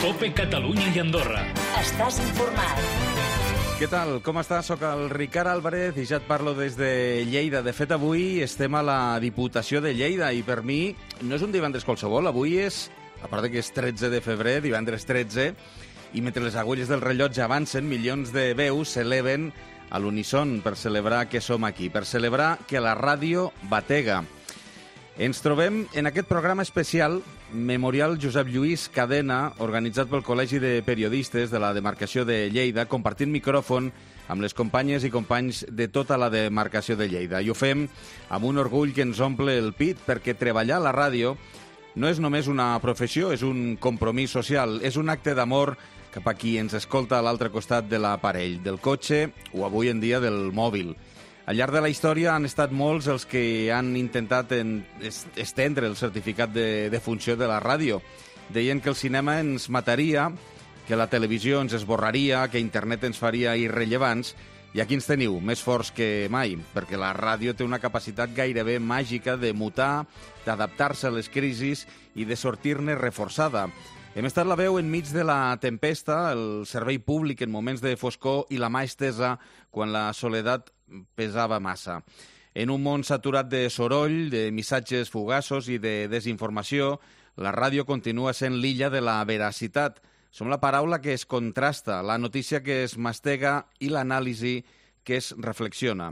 COPE Catalunya i Andorra. Estàs informat. Què tal? Com estàs? Soc el Ricard Álvarez i ja et parlo des de Lleida. De fet, avui estem a la Diputació de Lleida i per mi no és un divendres qualsevol. Avui és, a part que és 13 de febrer, divendres 13, i mentre les agulles del rellotge avancen, milions de veus s'eleven a l'unisson per celebrar que som aquí, per celebrar que la ràdio batega. Ens trobem en aquest programa especial Memorial Josep Lluís Cadena, organitzat pel Col·legi de Periodistes de la demarcació de Lleida, compartint micròfon amb les companyes i companys de tota la demarcació de Lleida. I ho fem amb un orgull que ens omple el pit, perquè treballar a la ràdio no és només una professió, és un compromís social, és un acte d'amor cap a qui ens escolta a l'altre costat de l'aparell, del cotxe o avui en dia del mòbil. Al llarg de la història han estat molts els que han intentat estendre el certificat de funció de la ràdio. Deien que el cinema ens mataria, que la televisió ens esborraria, que internet ens faria irrellevants, i aquí ens teniu, més forts que mai, perquè la ràdio té una capacitat gairebé màgica de mutar, d'adaptar-se a les crisis i de sortir-ne reforçada. Hem estat la veu enmig de la tempesta, el servei públic en moments de foscor i la mà estesa quan la soledat pesava massa. En un món saturat de soroll, de missatges fugaços i de desinformació, la ràdio continua sent l'illa de la veracitat. Som la paraula que es contrasta, la notícia que es mastega i l'anàlisi que es reflexiona.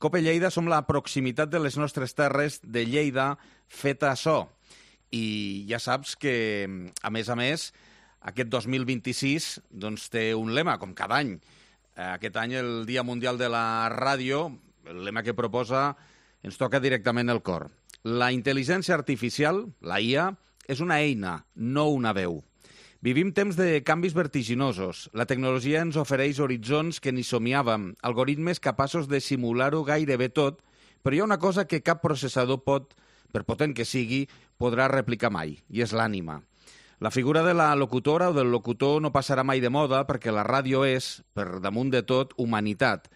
COPE Lleida som la proximitat de les nostres terres de Lleida feta a so. I ja saps que, a més, aquest 2026 doncs, té un lema, com cada any. Aquest any, el Dia Mundial de la Ràdio, el lema que proposa ens toca directament el cor. La intel·ligència artificial, la IA, és una eina, no una veu. Vivim temps de canvis vertiginosos. La tecnologia ens ofereix horitzons que ni somiàvem, algoritmes capaços de simular-ho gairebé tot, però hi ha una cosa que cap processador pot, per potent que sigui, podrà replicar mai, i és l'ànima. La figura de la locutora o del locutor no passarà mai de moda perquè la ràdio és, per damunt de tot, humanitat.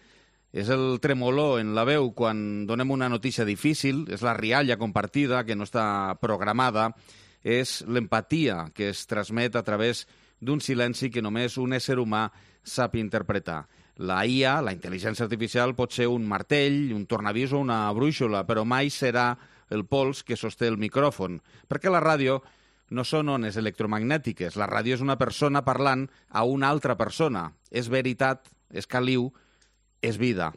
És el tremolor en la veu quan donem una notícia difícil, és la rialla compartida que no està programada, és l'empatia que es transmet a través d'un silenci que només un ésser humà sap interpretar. La IA, la intel·ligència artificial, pot ser un martell, un tornavís o una brúixola, però mai serà el pols que sosté el micròfon, perquè la ràdio no són ones electromagnètiques. La ràdio és una persona parlant a una altra persona. És veritat, és caliu, és vida.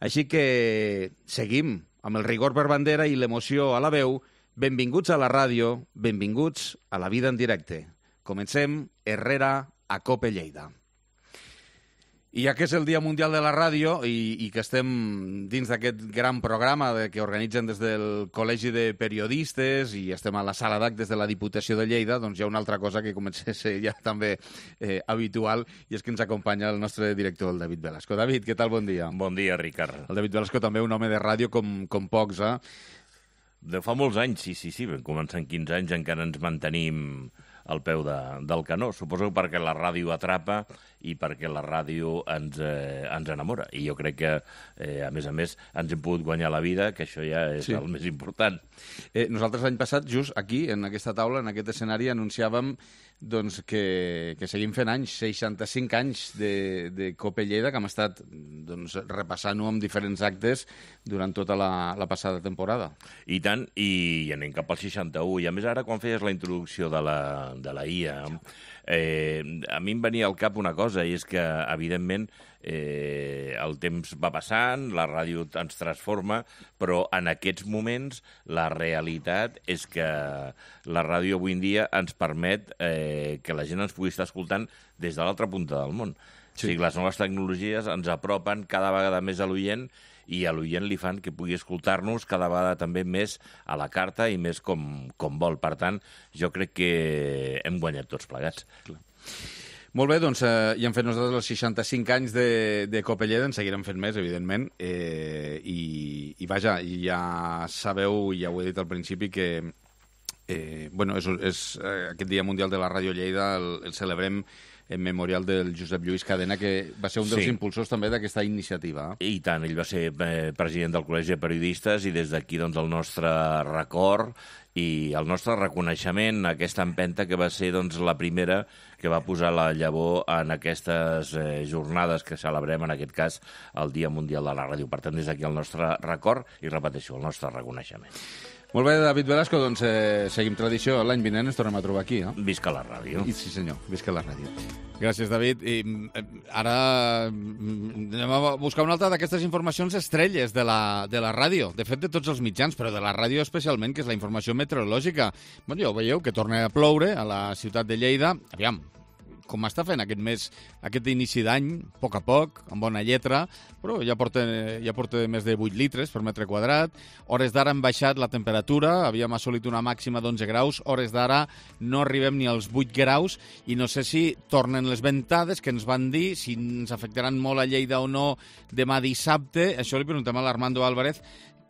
Així que seguim amb el rigor per bandera i l'emoció a la veu. Benvinguts a la ràdio, benvinguts a la vida en directe. Comencem Herrera a COPE Lleida. I ja que és el Dia Mundial de la Ràdio i que estem dins d'aquest gran programa que organitzen des del Col·legi de Periodistes i estem a la sala d'actes de la Diputació de Lleida, doncs hi ha una altra cosa que comença a ser ja també habitual, i és que ens acompanya el nostre director, el David Velasco. David, què tal? Bon dia. Bon dia, Ricard. El David Velasco també un home de ràdio com pocs, eh? De fa molts anys, sí. Vam començar en 15 anys, encara ens mantenim al peu del canó. Suposo perquè la ràdio atrapa i perquè la ràdio ens enamora. I jo crec que, a més, ens hem pogut guanyar la vida, que això ja és el més important. Nosaltres l'any passat, just aquí, en aquesta taula, en aquest escenari, anunciàvem doncs, que seguim fent anys, 65 anys de COPE Lleida, que hem estat doncs, repassant-ho amb diferents actes durant tota la passada temporada. I tant, i anem cap al 61. I a més, ara, quan feies la introducció de la IA, a mi em venia al cap una cosa, i és que, evidentment, el temps va passant, la ràdio ens transforma, però en aquests moments la realitat és que la ràdio avui en dia ens permet que la gent ens pugui estar escoltant des de l'altra punta del món. Sí. O sigui, les noves tecnologies ens apropen cada vegada més a l'oient i a l'oient li fan que pugui escoltar-nos cada vegada també més a la carta i més com vol. Per tant, jo crec que hem guanyat tots plegats. Clar. Molt bé, doncs ja hem fet nosaltres els 65 anys de COPE Lleida, en seguirem fent més, evidentment, i vaja, ja sabeu, ja ho he dit al principi, que bueno, és aquest Dia Mundial de la Ràdio Lleida el celebrem en memorial del Josep Lluís Cadena, que va ser un dels impulsors també d'aquesta iniciativa. I tant, ell va ser president del Col·legi de Periodistes i des d'aquí doncs, el nostre record i el nostre reconeixement a aquesta empenta que va ser doncs, la primera que va posar la llavor en aquestes jornades que celebrem, en aquest cas, el Dia Mundial de la Ràdio. Per tant, des d'aquí el nostre record i, repeteixo, el nostre reconeixement. Molt bé, David Velasco, doncs seguim tradició. L'any vinent ens tornem a trobar aquí, no? Visca la ràdio. Sí, senyor, visca la ràdio. Gràcies, David. I ara anem a buscar una altra d'aquestes informacions estrelles de la ràdio. De fet, de tots els mitjans, però de la ràdio especialment, que és la informació meteorològica. Bueno, ja ho veieu, que torna a ploure a la ciutat de Lleida. Aviam, com està fent aquest mes, aquest inici d'any, a poc, amb bona lletra, però ja porta més de 8 litres per metre quadrat. Hores d'ara han baixat la temperatura, havíem assolit una màxima d'11 graus, hores d'ara no arribem ni als 8 graus, i no sé si tornen les ventades que ens van dir, si ens afectaran molt a Lleida o no demà dissabte. Això li preguntem a l'Armando Álvarez,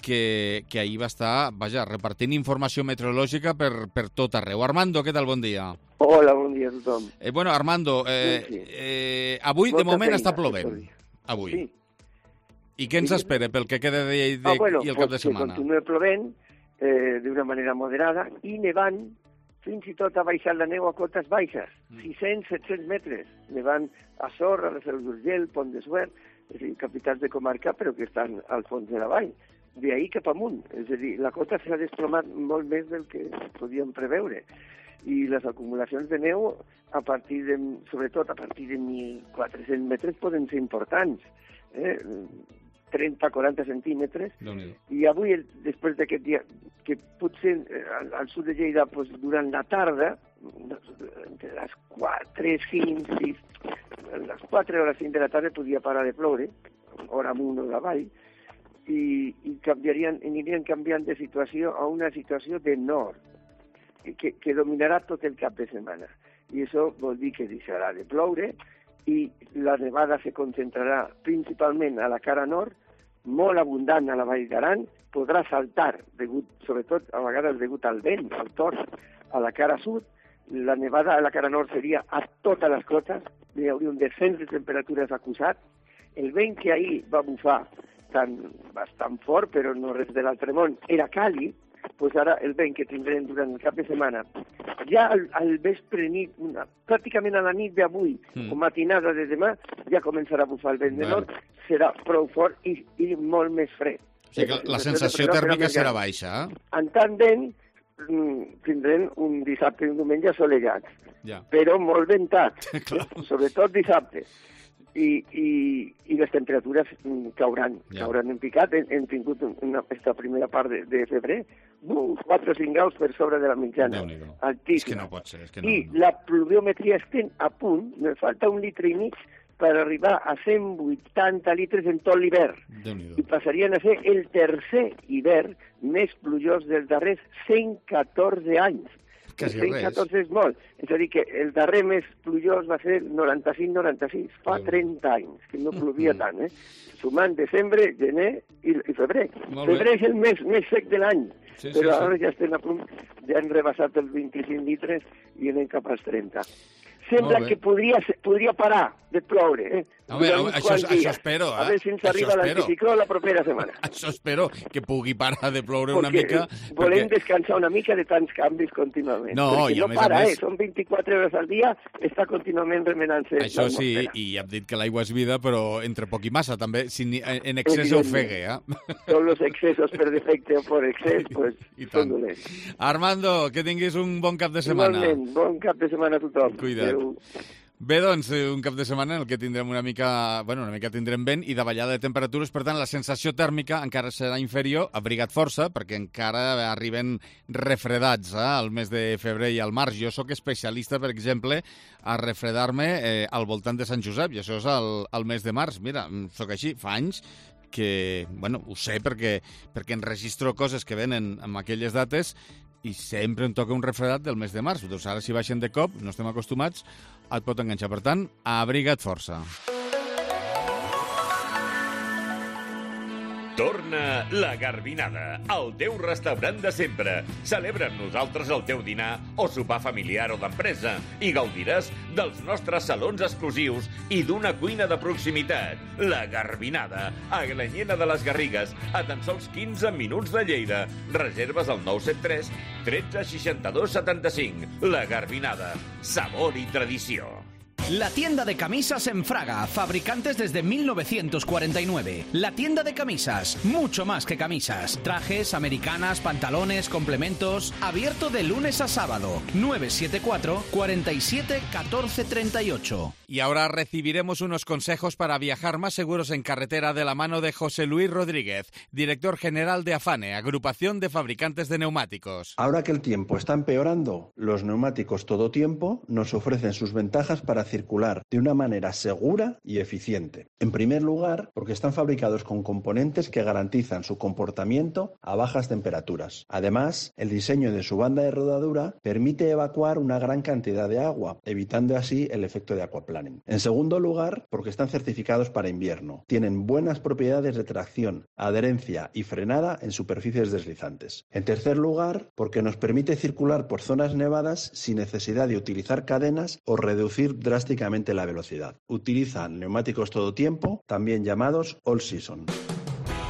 que ahir va estar, repartint informació meteorològica per tot arreu. Armando, què tal? Bon dia. Hola, bon dia a tothom. Bueno, Armando, avui de moment està plovent. Avui. Sí. I què ens espera pel que queda i el cap de setmana? Que continua plovent d'una manera moderada i nevant, fins i tot ha baixat la neu a cotes baixes, 600-700 metres, nevant a Sor, a la Seu d'Urgell, Pont de Suert, és a dir, capitals de comarca, però que estan al fons de la vall. D'ahir cap amunt, és a dir, la cota s'ha desplomat molt més del que podíem preveure. I les acumulacions de neu, sobretot a partir de 1.400 metres, poden ser importants. 30-40 centímetres. I avui, després d'aquest dia, que potser al sud de Lleida, durant la tarda, entre les 4, 5, 6, les 4 o les 5 de la tarda podia parar de ploure, hora amunt o avall, i anirien canviant de situació a una situació de nord, que dominarà tot el cap de setmana. I això vol dir que deixarà de ploure i la nevada se concentrarà principalment a la cara nord, molt abundant a la Vall d'Aran, podrà saltar, sobretot a vegades degut al vent, al tort, a la cara sud. La nevada a la cara nord seria a totes les cotes, hi hauria un descens de temperatures acusat. El vent que ahir va bufar bastant fort, però no res de l'altre món, era càlid, doncs ara el vent que tindrem durant el cap de setmana, ja al vespre nit, pràcticament a la nit d'avui, o matinada de demà, ja començarà a bufar el vent de nord, serà prou fort i molt més fred. O sigui que la sensació tèrmica serà baixa, En tant vent, tindrem un dissabte i un diumenge assolellats, però molt ventat, sobretot dissabte. I les temperatures cauran en picat. Hem tingut aquesta primera part de febrer 4 o 5 graus per sobre de la mitjana, altíssima. És que no pot ser. I la pluviometria estem a punt, me falta 1,5 litres per arribar a 180 litres en tot l'hivern. I passarien a ser el tercer hivern més plujós dels darrers 114 anys. 114 és molt. És a dir, que el darrer més plujós va ser 95-96, fa 30 anys, que no plovia tant, sumant desembre, gener i febrer. Febrer és el mes més sec de l'any, però ara ja estem a punt, ja hem rebassat els 25 litres i anem cap als 30. Sembla que podria parar de ploure. Això espero. A veure si ens arriba l'anticicló la propera setmana. Això espero, que pugui parar de ploure una mica. Volem descansar una mica de tants canvis contínuament. No para, són 24 hores al dia, està contínuament remenant-se. Això sí, i ja hem dit que l'aigua és vida, però entre poc i massa, també, si en excés ofegue. Tots els excessos per defecte o per excés, són dolents. Armando, que tinguis un bon cap de setmana. Igualment, bon cap de setmana a tothom. Cuida't. Bé, doncs, un cap de setmana en el que tindrem una mica tindrem vent i davallada de temperatures, per tant, la sensació tèrmica encara serà inferior, abriga't força, perquè encara arriben refredats al mes de febrer i al març. Jo sóc especialista, per exemple, a refredar-me al voltant de Sant Josep, i això és al mes de març. Mira, sóc així, fa anys que, ho sé perquè enregistro coses que venen en aquelles dates i sempre em toca un refredat del mes de març. Doncs ara, si baixen de cop, no estem acostumats, et pot enganxar. Per tant, abriga't força. Torna la Garbinada, el teu restaurant de sempre. Celebra amb nosaltres el teu dinar o sopar familiar o d'empresa i gaudiràs dels nostres salons exclusius i d'una cuina de proximitat. La Garbinada, a Granyena de les Garrigues, a tan sols 15 minuts de Lleida. Reserves al 973 13 62 75. La Garbinada, sabor i tradició. La tienda de camisas en Fraga, fabricantes desde 1949. La tienda de camisas, mucho más que camisas. Trajes, americanas, pantalones, complementos. Abierto de lunes a sábado. 974 47 14 38. Y ahora recibiremos unos consejos para viajar más seguros en carretera de la mano de José Luis Rodríguez, director general de Afane, agrupación de fabricantes de neumáticos. Ahora que el tiempo está empeorando, los neumáticos todo tiempo nos ofrecen sus ventajas para circular de una manera segura y eficiente. En primer lugar, porque están fabricados con componentes que garantizan su comportamiento a bajas temperaturas. Además, el diseño de su banda de rodadura permite evacuar una gran cantidad de agua, evitando así el efecto de aquaplaning. En segundo lugar, porque están certificados para invierno. Tienen buenas propiedades de tracción, adherencia y frenada en superficies deslizantes. En tercer lugar, porque nos permite circular por zonas nevadas sin necesidad de utilizar cadenas o reducir drásticamente la velocidad. Utilizan neumáticos todo tiempo, también llamados all season.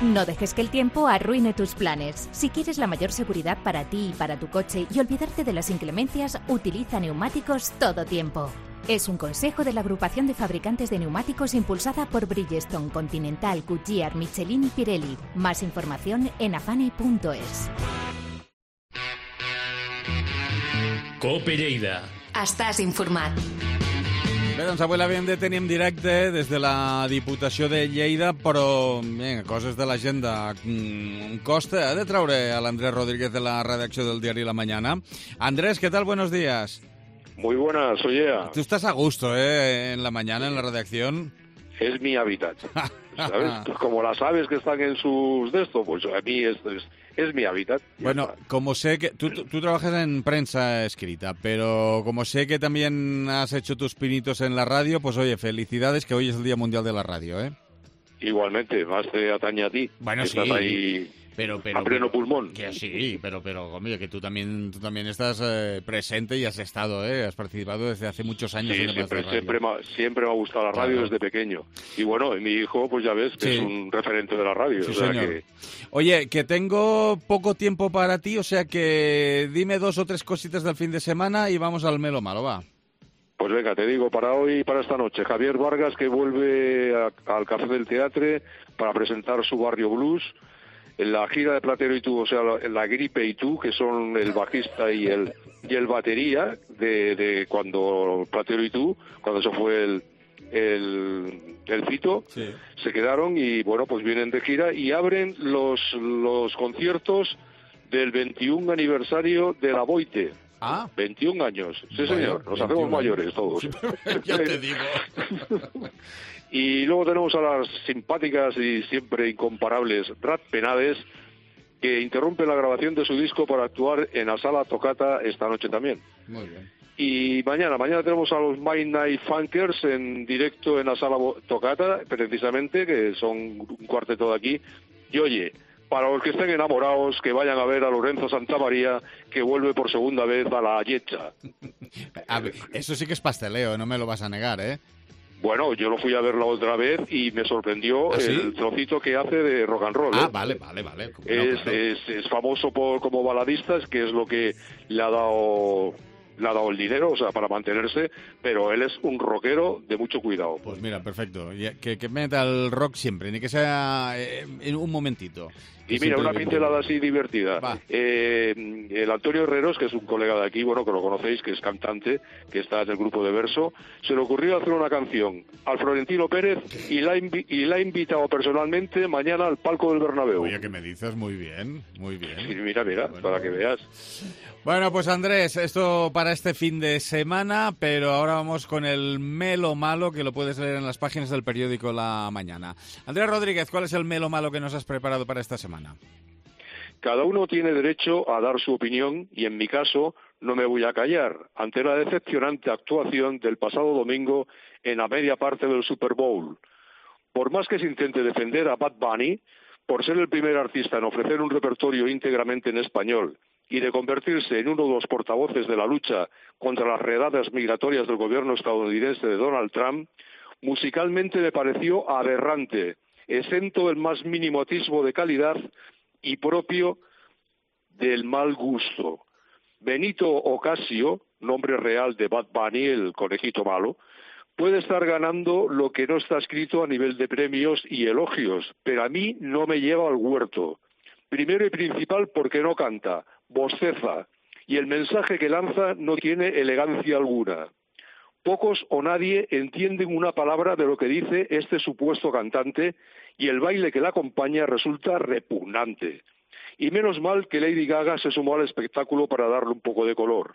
No dejes que el tiempo arruine tus planes. Si quieres la mayor seguridad para ti y para tu coche y olvidarte de las inclemencias, utiliza neumáticos todo tiempo. Es un consejo de la agrupación de fabricantes de neumáticos impulsada por Bridgestone, Continental, Goodyear, Michelin y Pirelli. Más información en afane.es. Cope Lleida. Estàs informat. Bé, doncs avui l'havíem de tenir en directe des de la Diputació de Lleida, però bé, coses de l'agenda. Costa de traure a l'Andrés Rodríguez de la redacció del diari La Mañana. Andrés, ¿qué tal? Buenos días. Muy buenas, soy Ea. Tú estás a gusto, en la mañana, en la redacción. Es mi hábitat, ¿sabes? Como las aves que están en sus de esto, pues a mí es mi hábitat. Bueno, como sé que tú trabajas en prensa escrita, pero como sé que también has hecho tus pinitos en la radio, pues oye, felicidades, que hoy es el Día Mundial de la Radio, ¿eh? Igualmente, más te atañe a ti. Bueno, que sí. Estás ahí pero a pleno pulmón. Que sí, pero hombre, que tú también estás presente y has estado, has participado desde hace muchos años. Sí, en siempre me ha gustado la radio desde pequeño. Y bueno, mi hijo, pues ya ves, que es un referente de la radio. Sí, o sea señor. que... Oye, que tengo poco tiempo para ti, o sea que dime 2 o 3 cositas del fin de semana y vamos al melo malo, va. Pues venga, te digo, para hoy y para esta noche, Javier Vargas, que vuelve al Café del Teatre para presentar su Barrio Blues. En la gira de Platero y tú, o sea, la Gripe y tú, que son el bajista y el batería de cuando Platero y tú, cuando se fue el Fito, sí. Se quedaron y bueno, pues vienen de gira y abren los conciertos del 21 aniversario de la Boite. 21 años, sí señor, nos hacemos mayores todos. Ya te digo. Y luego tenemos a las simpáticas y siempre incomparables Rat Penades, que interrumpe la grabación de su disco para actuar en la Sala Toccata esta noche también. Muy bien. Y mañana tenemos a los Midnight Funkers en directo en la Sala Toccata, precisamente, que son un cuarteto de aquí. Y oye, para los que estén enamorados, que vayan a ver a Lorenzo Santamaría, que vuelve por segunda vez a la Yetcha. A ver, eso sí que es pasteleo, no me lo vas a negar, ¿eh? Bueno, yo lo fui a ver la otra vez y me sorprendió el trocito que hace de rock and roll. Vale. Es famoso como baladista, que es lo que le ha dado el dinero, o sea, para mantenerse, pero él es un rockero de mucho cuidado. Pues mira, perfecto. Que meta el rock siempre, ni que sea en un momentito. Y mira, una pincelada así divertida. El Antonio Herreros, que es un colega de aquí, bueno, que lo conocéis, que es cantante, que está en el grupo de Verso, se le ocurrió hacer una canción al Florentino Pérez y la ha invitado personalmente mañana al palco del Bernabéu. Oye, que me dices, muy bien. Sí, mira, bueno, para que veas. Bueno, pues Andrés, esto para este fin de semana, pero ahora vamos con el melo malo, que lo puedes leer en las páginas del periódico La Mañana. Andrés Rodríguez, ¿cuál es el melo malo que nos has preparado para esta semana? Cada uno tiene derecho a dar su opinión y en mi caso no me voy a callar ante la decepcionante actuación del pasado domingo en la media parte del Super Bowl. Por más que se intente defender a Bad Bunny, por ser el primer artista en ofrecer un repertorio íntegramente en español y de convertirse en uno de los portavoces de la lucha contra las redadas migratorias del gobierno estadounidense de Donald Trump, musicalmente me pareció aberrante, exento del más mínimo atisbo de calidad y propio del mal gusto. Benito Ocasio, nombre real de Bad Bunny, el conejito malo, puede estar ganando lo que no está escrito a nivel de premios y elogios, pero a mí no me lleva al huerto. Primero y principal porque no canta, bosteza, y el mensaje que lanza no tiene elegancia alguna. Pocos o nadie entienden una palabra de lo que dice este supuesto cantante y el baile que la acompaña resulta repugnante. Y menos mal que Lady Gaga se sumó al espectáculo para darle un poco de color.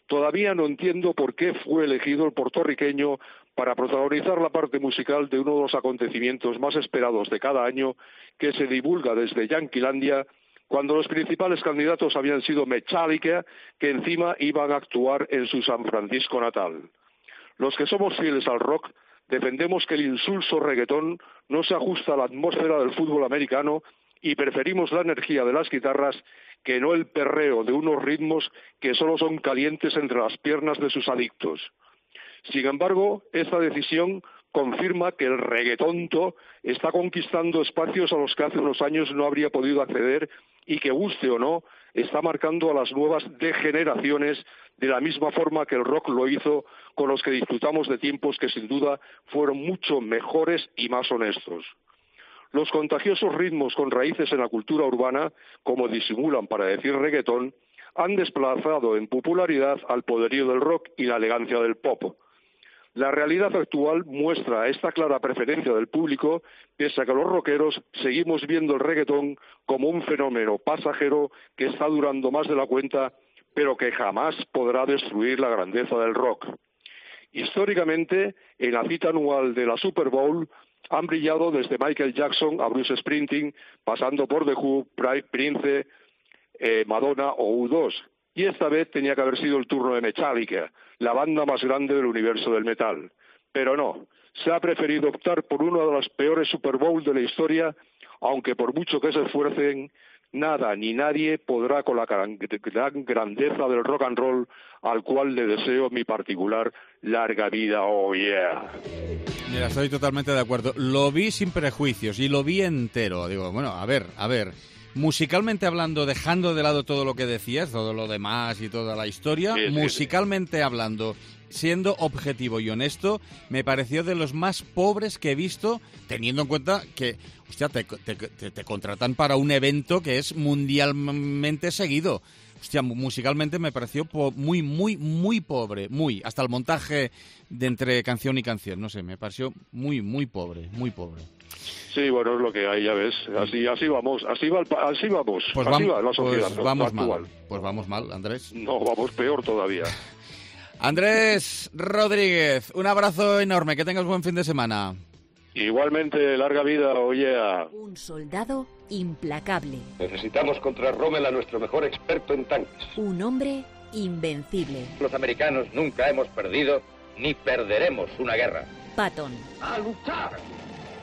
Todavía no entiendo por qué fue elegido el puertorriqueño para protagonizar la parte musical de uno de los acontecimientos más esperados de cada año que se divulga desde Yanquilandia, cuando los principales candidatos habían sido Metallica, que encima iban a actuar en su San Francisco natal. Los que somos fieles al rock defendemos que el insulso reggaetón no se ajusta a la atmósfera del fútbol americano y preferimos la energía de las guitarras que no el perreo de unos ritmos que solo son calientes entre las piernas de sus adictos. Sin embargo, esta decisión confirma que el reggaetonto está conquistando espacios a los que hace unos años no habría podido acceder y que, guste o no, está marcando a las nuevas degeneraciones de la misma forma que el rock lo hizo con los que disfrutamos de tiempos que sin duda fueron mucho mejores y más honestos. Los contagiosos ritmos con raíces en la cultura urbana, como disimulan para decir reggaetón, han desplazado en popularidad al poderío del rock y la elegancia del pop. La realidad actual muestra esta clara preferencia del público, pese a que los rockeros seguimos viendo el reggaetón como un fenómeno pasajero que está durando más de la cuenta, pero que jamás podrá destruir la grandeza del rock. Históricamente, en la cita anual de la Super Bowl, han brillado desde Michael Jackson a Bruce Springsteen, pasando por The Who, Prince, Madonna o U2. Y esta vez tenía que haber sido el turno de Metallica, la banda más grande del universo del metal. Pero no, se ha preferido optar por uno de los peores Super Bowl de la historia, aunque por mucho que se esfuercen, nada ni nadie podrá con la gran grandeza del rock and roll, al cual le deseo mi particular larga vida, oh yeah. Mira, estoy totalmente de acuerdo. Lo vi sin prejuicios y lo vi entero. Digo, bueno, a ver. Musicalmente hablando, dejando de lado todo lo que decías, todo lo demás y toda la historia, musicalmente hablando, siendo objetivo y honesto, me pareció de los más pobres que he visto, teniendo en cuenta que, hostia, te contratan para un evento que es mundialmente seguido. Hostia, musicalmente me pareció muy pobre, hasta el montaje de entre canción y canción, no sé, me pareció muy pobre. Sí, bueno, es lo que hay, ya ves. Así vamos. Pues así va la sociedad Pues vamos mal, Andrés. No, vamos peor todavía. Andrés Rodríguez, un abrazo enorme, que tengas buen fin de semana. Igualmente, larga vida, oye. Un soldado implacable. Necesitamos contra Rommel a nuestro mejor experto en tanques. Un hombre invencible. Los americanos nunca hemos perdido ni perderemos una guerra. Patton. ¡A luchar!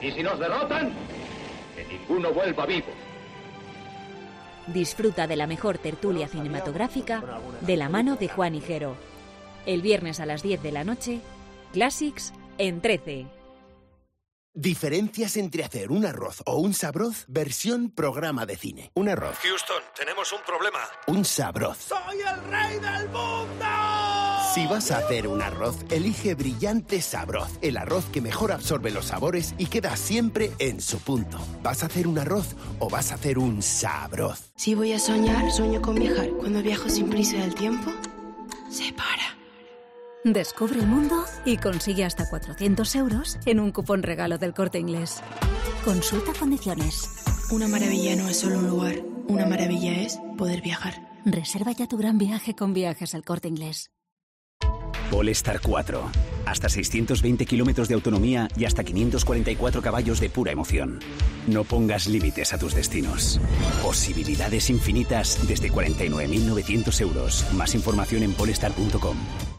Y si nos derrotan, que ninguno vuelva vivo. Disfruta de la mejor tertulia cinematográfica de la mano de Juan Higuero. El viernes a las 10 de la noche, Classics en 13. Diferencias entre hacer un arroz o un sabroz, versión programa de cine. Un arroz. Houston, tenemos un problema. Un sabroz. ¡Soy el rey del mundo! Si vas a hacer un arroz, elige Brillante Sabroz, el arroz que mejor absorbe los sabores y queda siempre en su punto. ¿Vas a hacer un arroz o vas a hacer un sabroz? Si voy a soñar, sueño con viajar. Cuando viajo sin prisa del tiempo, se para. Descubre el mundo y consigue hasta 400 euros en un cupón regalo del Corte Inglés. Consulta condiciones. Una maravilla no es solo un lugar. Una maravilla es poder viajar. Reserva ya tu gran viaje con Viajes El Corte Inglés. Polestar 4. Hasta 620 kilómetros de autonomía y hasta 544 caballos de pura emoción. No pongas límites a tus destinos. Posibilidades infinitas desde 49.900 euros. Más información en polestar.com.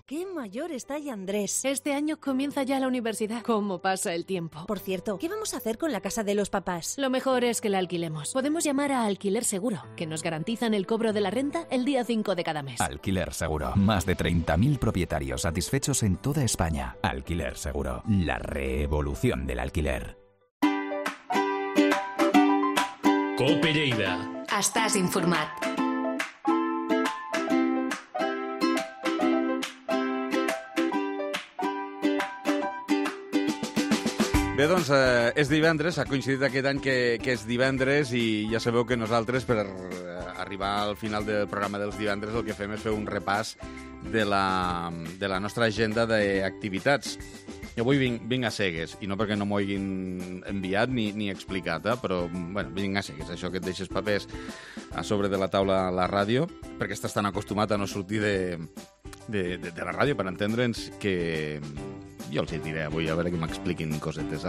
qué mayor está ya Andrés. Este año comienza ya la universidad. ¿Cómo pasa el tiempo? Por cierto, ¿qué vamos a hacer con la casa de los papás? Lo mejor es que la alquilemos. Podemos llamar a Alquiler Seguro, que nos garantizan el cobro de la renta el día 5 de cada mes. Alquiler Seguro. Más de 30.000 propietarios satisfechos en toda España. Alquiler Seguro. La revolución del alquiler. Cope Lleida. Estàs informat. Bé, doncs, és divendres, ha coincidit aquest any que és divendres i ja sabeu que nosaltres, per arribar al final del programa dels divendres, el que fem és fer un repàs de la nostra agenda d'activitats. Jo avui vinc a cegues, i no perquè no m'ho hagin enviat ni explicat, però bueno, vinc a cegues, això que et deixes papers a sobre de la taula a la ràdio, perquè estàs tan acostumat a no sortir de la ràdio per entendre'ns que jo els hi diré avui, a veure que m'expliquin cosetes.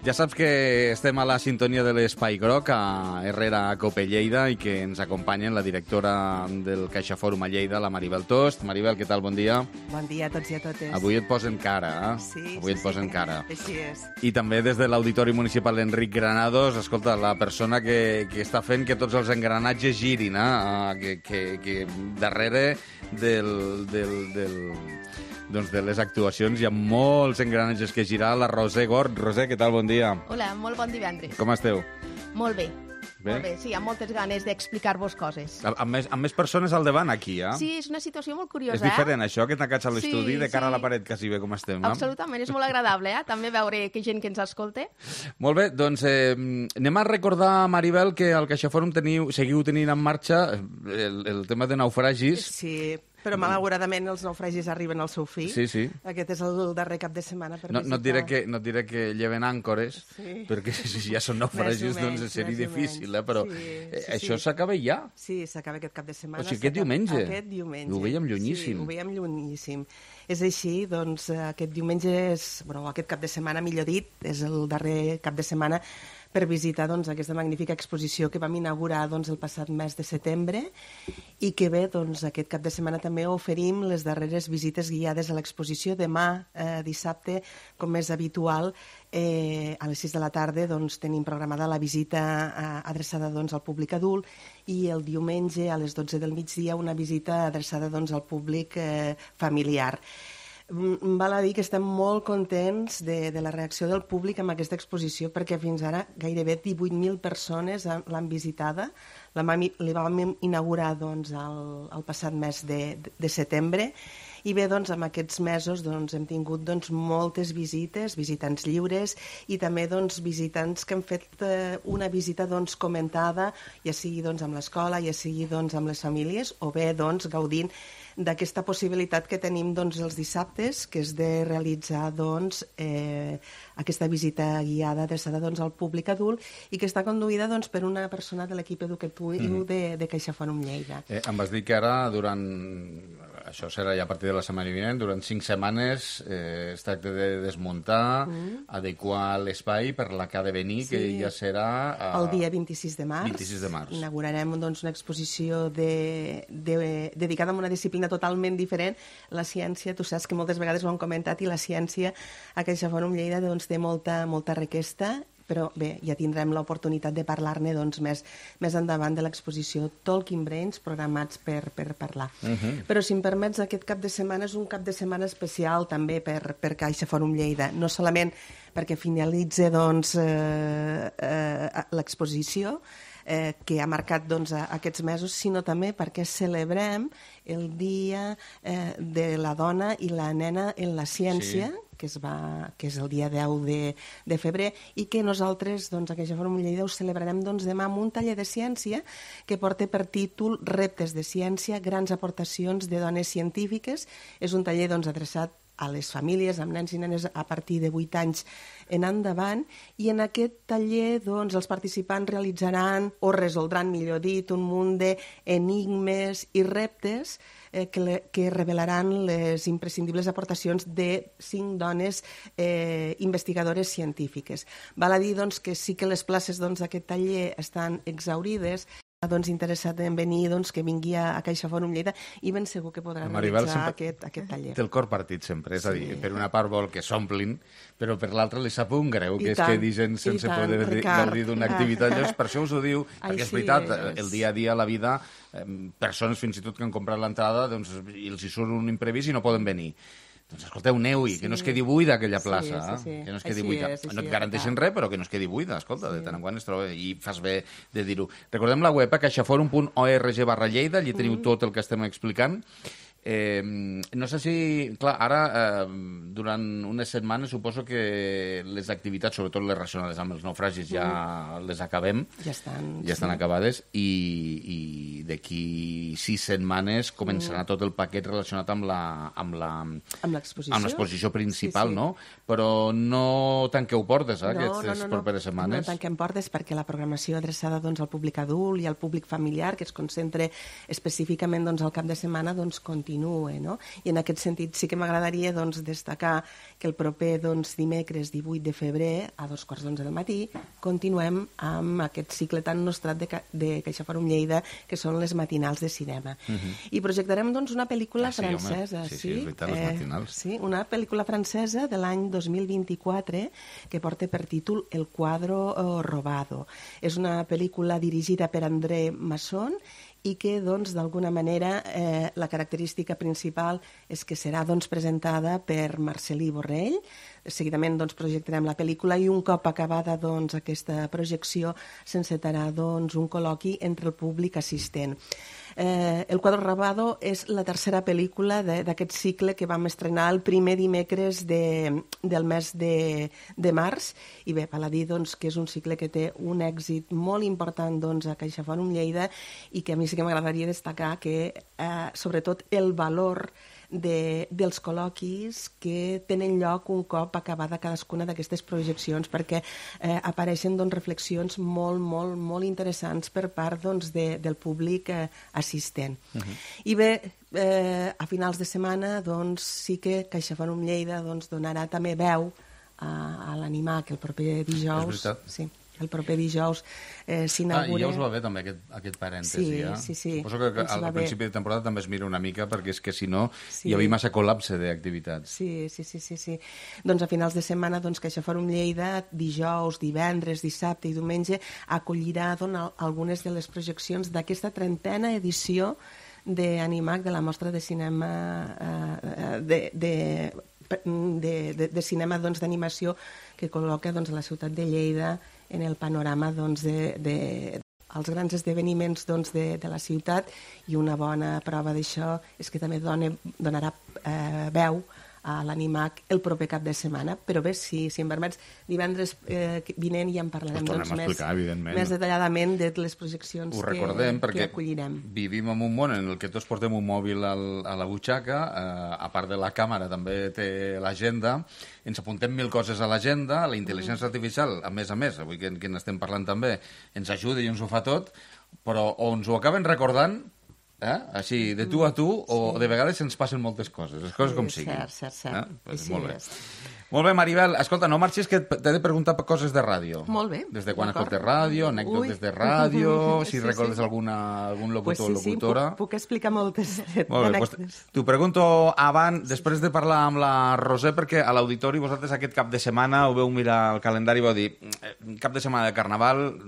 Ja saps que estem a la sintonia de l'Espai Groc, a Herrera Cope Lleida, i que ens acompanyen la directora del CaixaForum a Lleida, la Maribel Tost. Maribel, què tal? Bon dia. Bon dia a tots i a totes. Avui et posen cara, Sí, avui et posen cara. Així és. I també des de l'Auditori Municipal Enric Granados, escolta, la persona que està fent que tots els engranatges girin, que darrere doncs de les actuacions hi ha molts engranatges que girar. La Roser Gort. Roser, què tal? Bon dia. Hola, molt bon divendres. Com esteu? Molt bé. Bé? Molt bé, sí, amb moltes ganes d'explicar-vos coses. Amb més persones al davant, aquí, Sí, és una situació molt curiosa, És diferent, això, que t'acats a l'estudi, Sí, de cara sí. a la paret, quasi bé com estem. Absolutament, és molt agradable, també veure que gent que ens escolta. Molt bé, doncs anem a recordar, Maribel, que al CaixaForum seguiu tenint en marxa el tema de naufragis. Sí, però malauradament els naufragis arriben al seu fi. Sí. Aquest és el darrer cap de setmana per No visitar. et diré que lleven àncores, perquè si ja són naufragis, doncs seria difícil, però això s'acaba ja. Sí, s'acaba aquest cap de setmana. O sigui, aquest diumenge. Aquest diumenge. Ho veiem llunyíssim. Sí, ho veiem llunyíssim. És així, doncs, aquest diumenge aquest cap de setmana, millor dit, és el darrer cap de setmana per visitar doncs, aquesta magnífica exposició que vam inaugurar doncs, el passat mes de setembre i que bé, doncs, aquest cap de setmana també oferim les darreres visites guiades a l'exposició. Demà, dissabte, com és habitual, a les 6 de la tarda doncs, tenim programada la visita adreçada doncs, al públic adult i el diumenge a les 12 del migdia una visita adreçada doncs, al públic familiar. Val a dir que estem molt contents de la reacció del públic amb aquesta exposició perquè fins ara gairebé 18.000 persones l'han visitada. Li vam inaugurar doncs, el passat mes de setembre i bé, doncs, en aquests mesos doncs, hem tingut doncs, moltes visites, visitants lliures i també doncs, visitants que han fet una visita doncs, comentada, ja sigui doncs, amb l'escola, ja sigui doncs, amb les famílies o bé doncs, gaudint d'aquesta possibilitat que tenim doncs, els dissabtes, que és de realitzar doncs, aquesta visita guiada adreçada doncs, al públic adult i que està conduïda doncs, per una persona de l'equip educatiu de CaixaForum Lleida. Em vas dir que ara, això serà ja a partir de la setmana vinent, durant 5 setmanes es tracta de desmuntar, adequar l'espai per la que ha de venir, que ja serà... El dia 26 de març. 26 de març. Inaugurarem doncs, una exposició dedicada a una disciplina totalment diferent. La ciència, tu saps que moltes vegades ho hem comentat, i la ciència a CaixaForum Lleida doncs, té molta requesta, però bé, ja tindrem l'oportunitat de parlar-ne doncs, més endavant de l'exposició Talking Brains, programats per parlar. Però si em permets, aquest cap de setmana és un cap de setmana especial també per CaixaForum Lleida, no solament perquè finalitza doncs, l'exposició, que ha marcat doncs, aquests mesos, sinó també perquè celebrem el Dia de la Dona i la Nena en la Ciència, que és el dia 10 de febrer, i que nosaltres, doncs, a CaixaForum Lleida, ho celebrarem doncs, demà amb un taller de ciència que porta per títol Reptes de ciència, grans aportacions de dones científiques. És un taller doncs, adreçat a les famílies amb nens i nenes a partir de 8 anys en endavant, i en aquest taller doncs, els participants realitzaran o resoldran, millor dit, un munt d'enigmes i reptes que revelaran les imprescindibles aportacions de 5 dones investigadores científiques. Val a dir doncs, que sí que les places d'aquest taller estan exhaurides, interessat en venir, que vingui a CaixaForum Lleida i ben segur que podrà realitzar aquest taller. Té el cor partit sempre, és a dir, per una part vol que s'omplin, però per l'altra li sap un greu, que és que dir gent sense poder gaudir d'una activitat. Llavors, per això us ho diu, perquè és veritat, el dia a dia, la vida, persones fins i tot que han comprat l'entrada i els hi surt un imprevist i no poden venir. Doncs escolteu, aneu-hi, que no es quedi buida aquella plaça, que no es quedi buida. No et garanteixen res, però que no es quedi buida, escolta, de tant en quant es troba, i fas bé de dir-ho. Recordem la web, caixaforum.org/Lleida, allí teniu tot el que estem explicant. No sé si... Clar, ara, durant unes setmanes, suposo que les activitats, sobretot les relacionades amb els naufragis, ja les acabem. Ja estan acabades. I d'aquí 6 setmanes començarà tot el paquet relacionat amb l'exposició principal, no? Però no tanqueu portes, aquestes properes setmanes. No tanquem portes perquè la programació adreçada al públic adult i al públic familiar, que es concentra específicament al cap de setmana, continua. No? I en aquest sentit sí que m'agradaria destacar que el proper dimecres 18 de febrer a 2:15 del matí continuem amb aquest cicle tan nostrat de CaixaForum Lleida, que són les matinals de cinema. I projectarem una pel·lícula francesa. Sí, és veritat, les matinals. Sí, una pel·lícula francesa de l'any 2024 que porta per títol El cuadro robado. És una pel·lícula dirigida per André Masson i que, d'alguna manera, la característica principal és que serà presentada per Marcel·lí Borrell. Seguidament projectarem la pel·lícula i un cop acabada aquesta projecció s'encetarà un col·loqui entre el públic assistent. El cuadro robado és la tercera pel·lícula d'aquest cicle que vam estrenar el primer dimecres del mes de març, i bé, val a dir que és un cicle que té un èxit molt important a CaixaForum Lleida i que a mi sí que m'agradaria destacar que sobretot el valor dels col·loquis que tenen lloc un cop acabada cadascuna d'aquestes projeccions, perquè apareixen reflexions molt, molt, molt interessants per part del públic assistent. I bé, a finals de setmana sí que CaixaForum Lleida donarà també veu a l'Animac el proper dijous. És veritat. Sí. El proper dijous s'inaugura... I ja us va bé també aquest parèntesi. Sí. Suposo que al principi de temporada també es mira una mica, perquè és que si no hi havia massa col·lapse d'activitats. Sí. Doncs a finals de setmana CaixaForum Lleida, dijous, divendres, dissabte i diumenge, acollirà algunes de les projeccions d'aquesta 30a edició d'Animac, de la mostra de cinema de cinema d'animació que col·loca la ciutat de Lleida en el panorama els grans esdeveniments de la ciutat, i una bona prova d'això és que també donarà veu a l'Animac el proper cap de setmana. Però bé, si em permets, divendres vinent ja en parlarem més detalladament de les projeccions que acollirem. Ho recordem perquè vivim en un món en el que tots portem un mòbil a la butxaca, a part de la càmera també té l'agenda, ens apuntem 1000 coses a l'agenda, la intel·ligència artificial, a més, avui que n'estem parlant també, ens ajuda i ens ho fa tot, però o ens ho acaben recordant, així, de tu a tu, o de vegades ens passen moltes coses, les coses com siguin. Cert. Molt bé. Molt bé, Maribel. Escolta, no marxis, que t'he de preguntar per coses de ràdio. Molt bé. Des de quan escoltes ràdio, anècdotes de ràdio, si recordes algun locutor o locutora. Sí, puc explicar moltes anècdotes. T'ho pregunto després de parlar amb la Roser, perquè a l'auditori vosaltres aquest cap de setmana ho veu mirar el calendari i vau dir cap de setmana de Carnaval,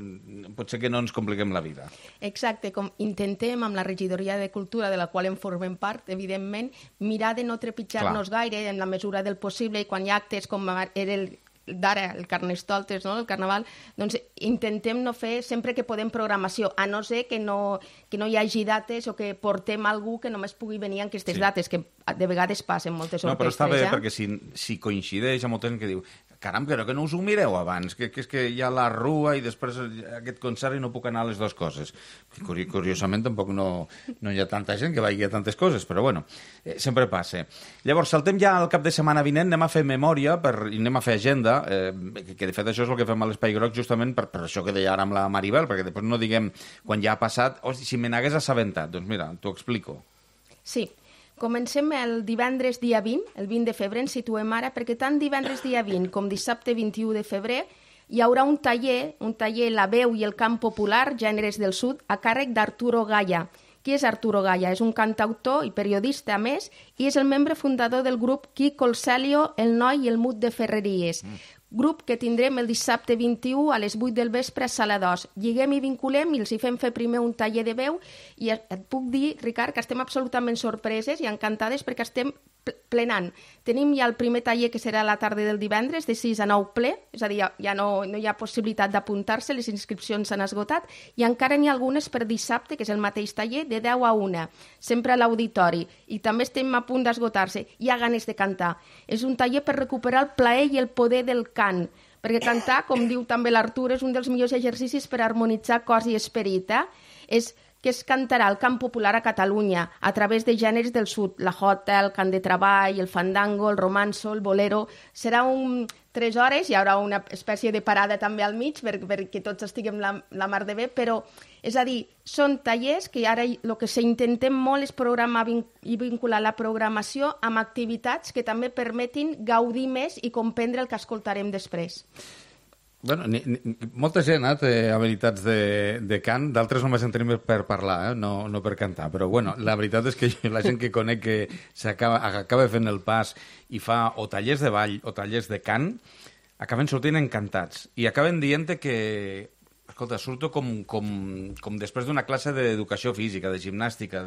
potser que no ens compliquem la vida. Exacte, com intentem amb la regidoria de Cultura, de la qual en formem part, evidentment, mirar de no trepitjar-nos gaire en la mesura del possible, i quan hi ha actes com era d'ara, el Carnestoltes, no? El Carnaval, doncs intentem no fer sempre que podem programació, a no ser que no hi hagi dates o que portem algú que només pugui venir en aquestes dates, que de vegades passen moltes orquestres. No, però està bé, perquè si coincideix amb molta gent que diu caram, però que no us ho mireu abans, que és que hi ha la rua i després aquest concert i no puc anar a les dues coses. Curiosament, tampoc no hi ha tanta gent que vagi a tantes coses, però bueno, sempre passa. Llavors, saltem ja al cap de setmana vinent, anem a fer memòria i anem a fer agenda, que de fet això és el que fem a l'Espai Groc justament per això que deia ara amb la Maribel, perquè després no diguem quan ja ha passat, si me n'hagués assabentat, doncs mira, t'ho explico. Sí. Comencem el divendres dia 20, el 20 de febrer ens situem ara, perquè tant divendres dia 20 com dissabte 21 de febrer hi haurà un taller, La veu i el cant popular, gèneres del sud, a càrrec d'Arturo Gaya. Qui és Arturo Gaya? És un cantautor i periodista, a més, i és el membre fundador del grup Quico el Celio, el Noi i el Mut de Ferreries. Grup que tindrem el dissabte 21 a les 8 del vespre a Sala 2. Lliguem i vinculem i els hi fem fer primer un taller de veu i et puc dir, Ricard, que estem absolutament sorpreses i encantades perquè estem plenant. Tenim ja el primer taller que serà a la tarda del divendres de 6 a 9 ple, és a dir, ja no hi ha possibilitat d'apuntar-se, les inscripcions s'han esgotat i encara n'hi ha algunes per dissabte, que és el mateix taller, de 10 a 1, sempre a l'auditori, i també estem a punt d'esgotar-se. Hi ha ganes de cantar. És un taller per recuperar el plaer i el poder del cant, perquè cantar, com diu també l'Artur, és un dels millors exercicis per harmonitzar cos i esperit, que es cantarà el cant popular a Catalunya a través de gèneres del sud, la jota, el cant de treball, el fandango, el romanzo, el bolero. Serà 3 hores, hi haurà una espècie de parada també al mig perquè tots estiguem la mar de bé, però és a dir, són tallers que ara el que s'intentem molt és programar i vincular la programació amb activitats que també permetin gaudir més i comprendre el que escoltarem després. Bueno, molta gent té habilitats de cant, d'altres només en tenim per parlar, no per cantar, però bueno, la veritat és que la gent que conec que acaba fent el pas i fa o tallers de ball o tallers de cant, acaben sortint encantats i acaben dient que, escolta, surto com després d'una classe d'educació física, de gimnàstica,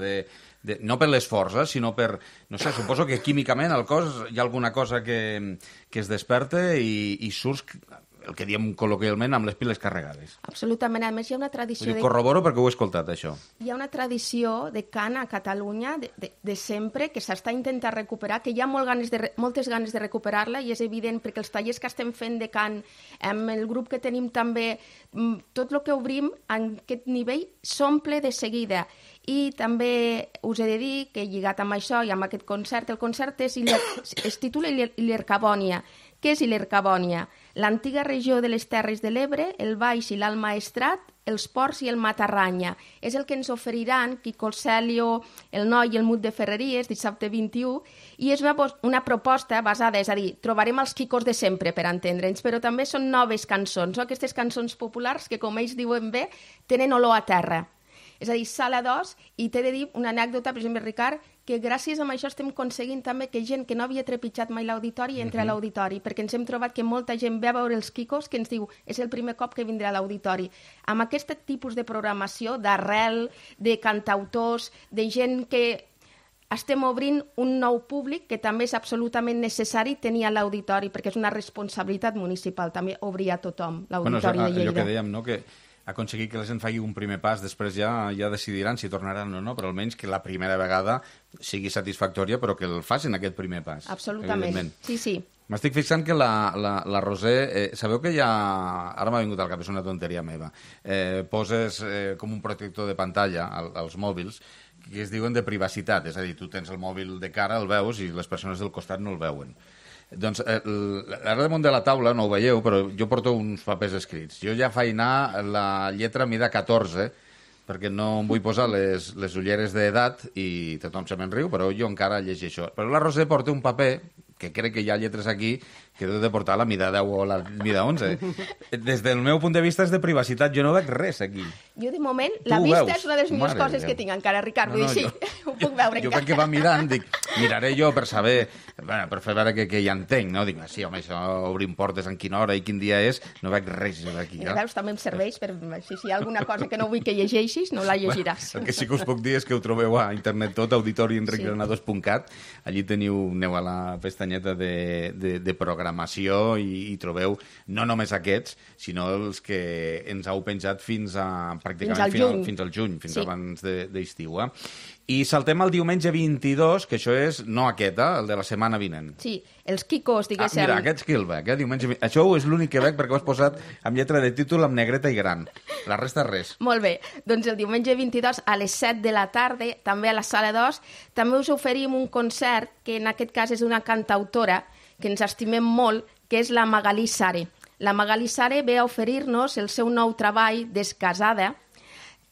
no per l'esforç, sinó per, no sé, suposo que químicament al cos hi ha alguna cosa que es desperta i surts el que diem col·loquialment, amb les piles carregades. Absolutament. A més, hi ha una tradició... Corroboro perquè ho he escoltat, això. Hi ha una tradició de cant a Catalunya de sempre que s'està intentant recuperar, que hi ha moltes ganes de recuperar-la i és evident perquè els tallers que estem fent de cant, amb el grup que tenim també, tot el que obrim en aquest nivell s'omple de seguida. I també us he de dir que lligat amb això i amb aquest concert, el concert es titula Ilercabònia. Què és Ilercabònia? L'antiga regió de les Terres de l'Ebre, el Baix i l'Alt Maestrat, els Ports i el Matarranya. És el que ens oferiran Quico el Celio, el Noi i el Mut de Ferreries, dissabte 21, i és una proposta basada, és a dir, trobarem els Quicos de sempre, per entendre'ns, però també són noves cançons, aquestes cançons populars que, com ells diuen bé, tenen olor a terra. És a dir, Sala 2, i t'he de dir una anècdota, per exemple, Ricard, que gràcies a això estem aconseguint també que gent que no havia trepitjat mai l'auditori entri a l'auditori, perquè ens hem trobat que molta gent ve a veure els Quicos que ens diu és el primer cop que vindrà a l'auditori. Amb aquest tipus de programació, d'arrel, de cantautors, de gent que estem obrint un nou públic que també és absolutament necessari tenir a l'auditori, perquè és una responsabilitat municipal també obrir a tothom l'auditori de Lleida. Allò que dèiem, no?, que aconseguir que la gent faci un primer pas, després ja decidiran si tornaran o no, però almenys que la primera vegada sigui satisfactòria, però que el facin aquest primer pas. Absolutament, sí. M'estic fixant que la Roser... sabeu que ja... Ara m'ha vingut al cap, és una tonteria meva. Poses com un protector de pantalla als mòbils que es diuen de privacitat, és a dir, tu tens el mòbil de cara, el veus, i les persones del costat no el veuen. Doncs ara damunt de la taula, no ho veieu, però jo porto uns papers escrits. Jo ja faig anar la lletra mida 14, perquè no em vull posar les ulleres d'edat i tothom se me'n riu, però jo encara llegeixo. Però la Roser porta un paper, que crec que hi ha lletres aquí, que deu de portar la mida 10 o la mida 11. Des del meu punt de vista és de privacitat, jo no veig res aquí. Jo, de moment, la vista és una de les millors coses que tinc encara, Ricard, vull dir, sí, ho puc veure encara. Jo perquè va mirant, dic, miraré jo per saber, per fer veure que ja entenc, no? Dic, sí, home, això, obrim portes en quina hora i quin dia és, no veig res aquí. Veus, també em serveix, si hi ha alguna cosa que no vull que llegeixis, no la llegiràs. El que sí que us puc dir és que ho trobeu a internet tot, auditorienregrenados.cat, allí aneu a la pestanyeta de programació i trobeu no només aquests, sinó els que ens heu penjat fins al juny, fins abans d'estiu. I saltem al diumenge 22, que això és no aquest, el de la setmana vinent. Sí, els Quicos, diguéssim. Mira, aquest que el veig, diumenge 22. Això és l'únic que veig perquè ho has posat amb lletra de títol amb negreta i gran. La resta res. Molt bé, doncs el diumenge 22 a les 7 de la tarda, també a la Sala 2, també us oferim un concert que en aquest cas és d'una cantautora que ens estimem molt, que és la Magalí Sare. La Magalí Sare ve a oferir-nos el seu nou treball, Descasada,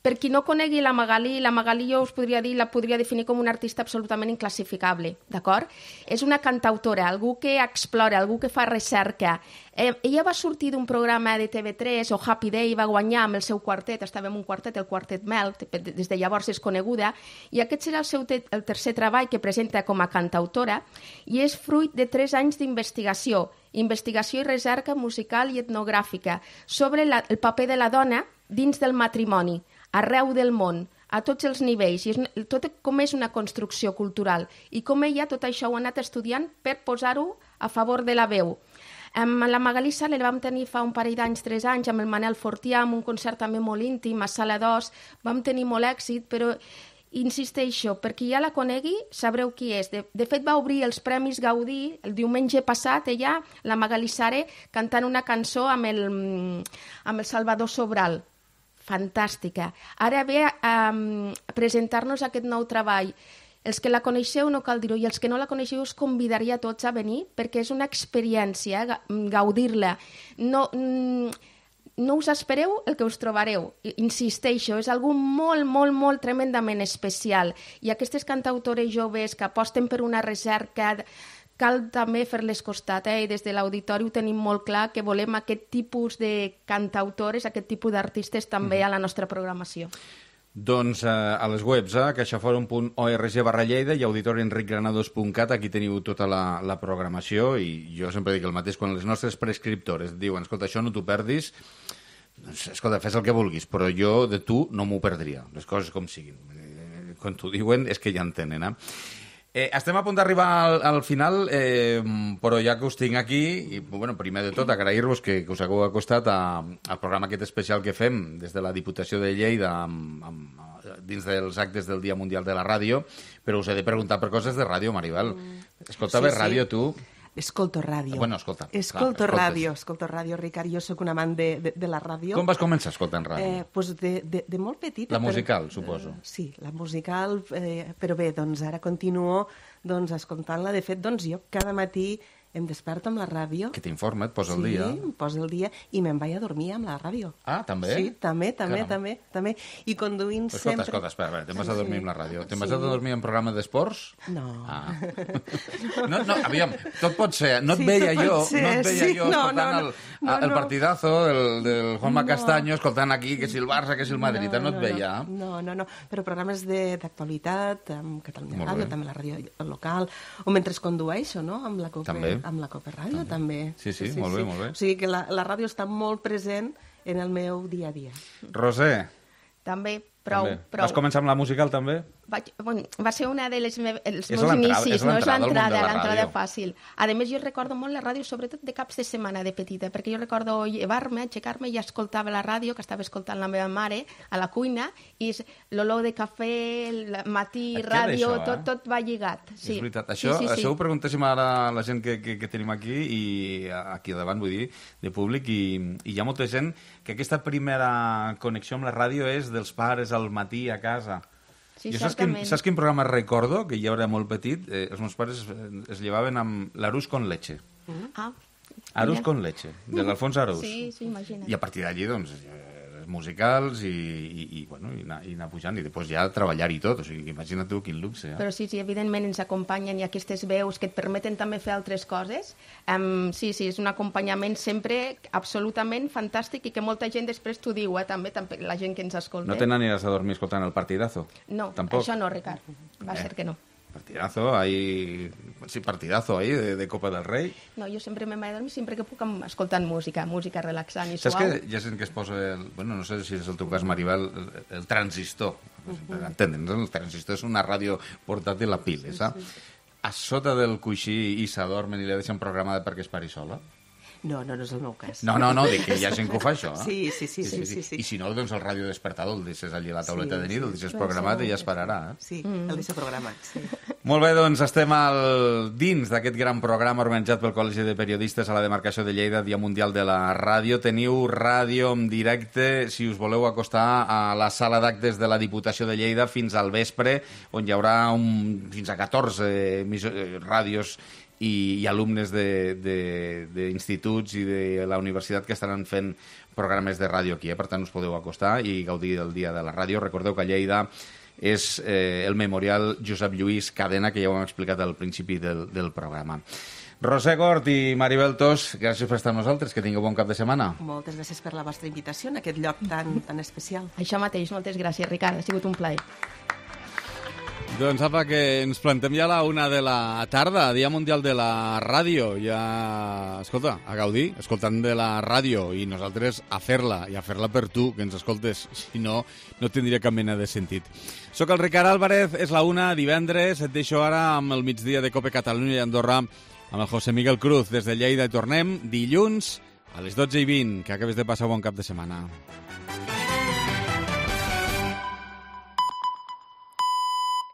Per qui no conegui la Magalí jo us podria dir, la podria definir com una artista absolutament inclassificable, d'acord? És una cantautora, algú que explora, algú que fa recerca. Ella va sortir d'un programa de TV3, o Happy Day, va guanyar amb el seu quartet, estava en un quartet, el Quartet Mel, des de llavors és coneguda, i aquest serà el tercer treball que presenta com a cantautora, i és fruit de 3 anys d'investigació, investigació i recerca musical i etnogràfica sobre el paper de la dona dins del matrimoni, arreu del món, a tots els nivells, i tot com és una construcció cultural, i com ella tot això ho ha anat estudiant per posar-ho a favor de la veu. Amb la Magalí Sala la vam tenir fa un parell d'anys, 3 anys, amb el Manel Fortià, amb un concert també molt íntim, a Sala 2, vam tenir molt èxit, però insisteixo, per qui ja la conegui, sabreu qui és. De fet, va obrir els Premis Gaudí el diumenge passat, ella, la Magalí Sala, cantant una cançó amb el Salvador Sobral. Fantàstica. Ara ve a presentar-nos aquest nou treball. Els que la coneixeu no cal dir-ho, i els que no la coneixeu us convidaria a tots a venir, perquè és una experiència, gaudir-la. No us espereu el que us trobareu. Insisteixo, és algú molt, molt, molt tremendament especial. I aquestes cantautores joves que aposten per una recerca, cal també fer-les costat, i des de l'auditori ho tenim molt clar que volem aquest tipus de cantautores, aquest tipus d'artistes també a la nostra programació. Doncs a les webs, caixaforum.org/Lleida i auditorienricgranados.cat, aquí teniu tota la programació, i jo sempre dic el mateix, quan les nostres prescriptores diuen, escolta, això no t'ho perdis, doncs, escolta, fes el que vulguis, però jo de tu no m'ho perdria, les coses com siguin. Quan t'ho diuen és que ja en tenen, estem a punt d'arribar al final, però ja que us tinc aquí, primer de tot agrair-vos que us hagueu acostat al programa aquest especial que fem des de la Diputació de Lleida dins dels actes del Dia Mundial de la Ràdio, però us he de preguntar per coses de ràdio, Maribel. Escoltaves ràdio, tu? Escolto ràdio. Bueno, escolta. Escolto ràdio, Ricard. Jo sóc un amant de la ràdio. Com vas començar escoltant ràdio? Doncs de molt petita. La musical, suposo. Sí, la musical, però bé, doncs ara continuo escoltant-la. De fet, doncs jo cada matí em desperto amb la ràdio. Que t'informa, et posa el dia. Sí, em posa el dia i me'n vaig a dormir amb la ràdio. Ah, també? Sí, també. I conduint sempre... Escolta, espera, te'n vas a dormir amb la ràdio. Te'n vas a dormir en programa d'esports? No. No, aviam, tot pot ser. No et veia jo escoltant el partidazo del Juanma Castaño, escoltant aquí que si el Barça, que si el Madrid, no et veia. No, però programes d'actualitat, amb Catalunya Ràdio, també la ràdio local, o mentre condueixo, no?, amb la Copa. També. Amb la Copa Ràdio, també. Sí, molt bé, molt bé. O sigui que la ràdio està molt present en el meu dia a dia. Roser. També, prou. Vas començar amb la musical, també? Va ser una dels meus inicis, no és l'entrada fàcil. A més, jo recordo molt la ràdio, sobretot de caps de setmana de petita, perquè jo recordo llevar-me, aixecar-me i escoltava la ràdio, que estava escoltant la meva mare a la cuina, i l'olor de cafè, el matí, ràdio, tot va lligat. És veritat. Això ho preguntéssim ara a la gent que tenim aquí, i aquí davant, vull dir, de públic, i hi ha molta gent que aquesta primera connexió amb la ràdio és dels pares al matí a casa. Sí, jo saps quin programa recordo, que ja era molt petit? Els meus pares es llevaven amb l'Arús con leche. Arús con leche, de l'Alfons Arús. Sí, imagina't. I a partir d'allí, doncs, musicals i anar pujant, i després ja treballar i tot. O sigui, imagina't tu quin luxe. Però sí, evidentment ens acompanyen i aquestes veus que et permeten també fer altres coses. Sí, és un acompanyament sempre absolutament fantàstic i que molta gent després t'ho diu, també la gent que ens escolta. No te n'aniràs a dormir escoltant el partidazo? No, tampoc. Això no, Ricard. Va ser que no. Partidazo ahí de Copa del Rei. No, jo sempre m'he de dormir, sempre que puc, escoltant música relaxant i suau. Saps que hi ha gent que es posa, no sé si és el teu cas, Maribel, el transistor. Entenen, el transistor és una ràdio portàtil a piles, saps? A sota del coixí i s'adormen i li deixen programada perquè es pari sola? No és el meu cas. No, dic que hi ha gent que ho fa, això. Sí. I si no, doncs el ràdio despertador el deixes allí a la tauleta de nit, el deixes programat i ja es pararà. Sí, el deixo programat, sí. Molt bé, doncs estem dins d'aquest gran programa organitzat pel Col·legi de Periodistes a la demarcació de Lleida, Dia Mundial de la Ràdio. Teniu ràdio en directe, si us voleu acostar a la sala d'actes de la Diputació de Lleida fins al vespre, on hi haurà fins a 14 ràdios i alumnes d'instituts i de la universitat que estaran fent programes de ràdio aquí. Per tant, us podeu acostar i gaudir del Dia de la Ràdio. Recordeu que a Lleida és el memorial Josep Lluís Cadena, que ja ho hem explicat al principi del programa. Roser Gort i Maribel Tos, gràcies per estar amb nosaltres, que tingueu bon cap de setmana. Moltes gràcies per la vostra invitació en aquest lloc tan especial. Això mateix, moltes gràcies, Ricard, ha sigut un plaer. Doncs apa, que ens plantem ja a la 1 de la tarda, Dia Mundial de la Ràdio. Ja, escolta, a gaudir, escoltant de la ràdio, i nosaltres a fer-la, i a fer-la per tu, que ens escoltes. Si no, no tindria cap mena de sentit. Soc el Ricard Álvarez, és la 1, divendres, et deixo ara amb el migdia de Cope Catalunya i Andorra, amb el José Miguel Cruz des de Lleida, i tornem dilluns a les 12:20. Que acabes de passar bon cap de setmana.